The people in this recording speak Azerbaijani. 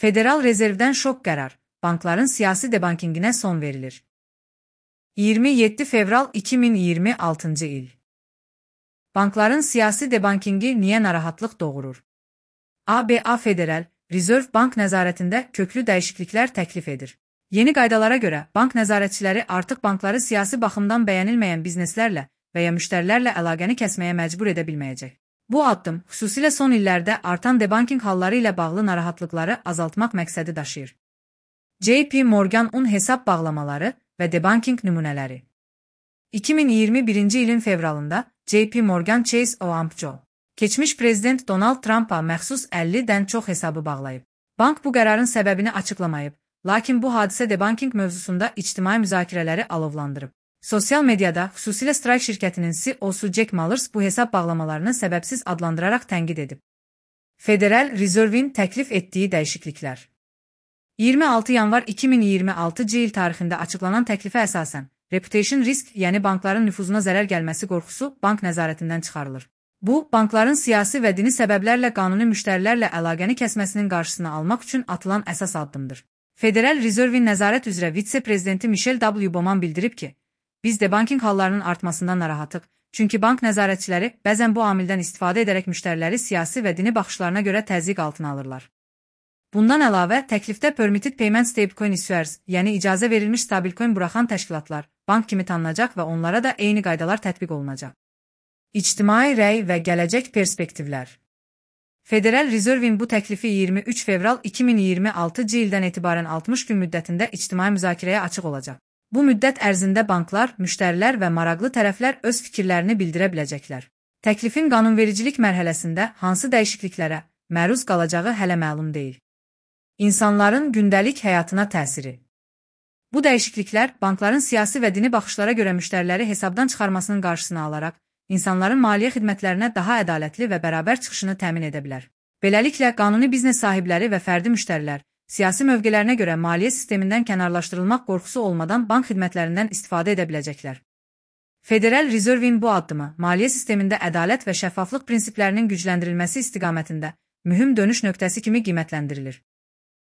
Federal Rezervdən şok qərar, bankların siyasi debankinginə son verilir. 27 fevral 2026 il. Bankların siyasi debankingi niyə narahatlıq doğurur? ABA Federal Reserve Bank nəzarətində köklü dəyişikliklər təklif edir. Yeni qaydalara görə bank nəzarətçiləri artıq bankları siyasi baxımdan bəyənilməyən bizneslərlə və ya müştərilərlə əlaqəni kəsməyə məcbur edə bilməyəcək. Bu addım xüsusilə son illərdə artan debanking halları ilə bağlı narahatlıqları azaltmaq məqsədi daşıyır. JP Morgan hesab bağlamaları və debanking nümunələri. 2021-ci ilin fevralında JP Morgan Chase Oamco keçmiş prezident Donald Trump'a məxsus 50-dən çox hesabı bağlayıb. Bank bu qərarın səbəbini açıqlamayıb, lakin bu hadisə debanking mövzusunda ictimai müzakirələri alovlandırıb. Sosial mediada xüsusilə Strike şirkətinin CEO-su Jack Mallers bu hesab bağlamalarını səbəbsiz adlandıraraq tənqid edib. Federal Reserve'in təklif etdiyi dəyişikliklər. 26 yanvar 2026 il tarixində açıqlanan təklifə əsasən, reputation risk, yəni bankların nüfuzuna zərər gəlməsi qorxusu bank nəzarətindən çıxarılır. Bu, bankların siyasi və dini səbəblərlə qanuni müştərilərlə əlaqəni kəsməsinin qarşısını almaq üçün atılan əsas addımdır. Federal Reserve'in nəzarət üzrə vitse-prezidenti Michelle W. Bowman bildirib ki, biz debanking hallarının artmasından narahatıq, çünki bank nəzarətçiləri bəzən bu amildən istifadə edərək müştəriləri siyasi və dini baxışlarına görə təzyiq altına alırlar. Bundan əlavə, təklifdə Permitted Payment Stablecoin Issuers, yəni icazə verilmiş stabilcoin buraxan təşkilatlar, bank kimi tanınacaq və onlara da eyni qaydalar tətbiq olunacaq. İctimai rəy və gələcək perspektivlər. Federal Reserve'in bu təklifi 23 fevral 2026 ildən etibarən 60 gün müddətində ictimai müzakirəyə açıq olacaq. Bu müddət ərzində banklar, müştərilər və maraqlı tərəflər öz fikirlərini bildirə biləcəklər. Təklifin qanunvericilik mərhələsində hansı dəyişikliklərə məruz qalacağı hələ məlum deyil. İnsanların gündəlik həyatına təsiri. Bu dəyişikliklər bankların siyasi və dini baxışlara görə müştəriləri hesabdan çıxarmasının qarşısını alaraq, insanların maliyyə xidmətlərinə daha ədalətli və bərabər çıxışını təmin edə bilər. Beləliklə, qanuni biznes sahibləri və fərdi müştərilər siyasi mövqelərinə görə maliyyə sistemindən kənarlaşdırılmaq qorxusu olmadan bank xidmətlərindən istifadə edə biləcəklər. Federal Reserve'in bu addımı maliyyə sistemində ədalət və şəffaflıq prinsiplərinin gücləndirilməsi istiqamətində mühüm dönüş nöqtəsi kimi qiymətləndirilir.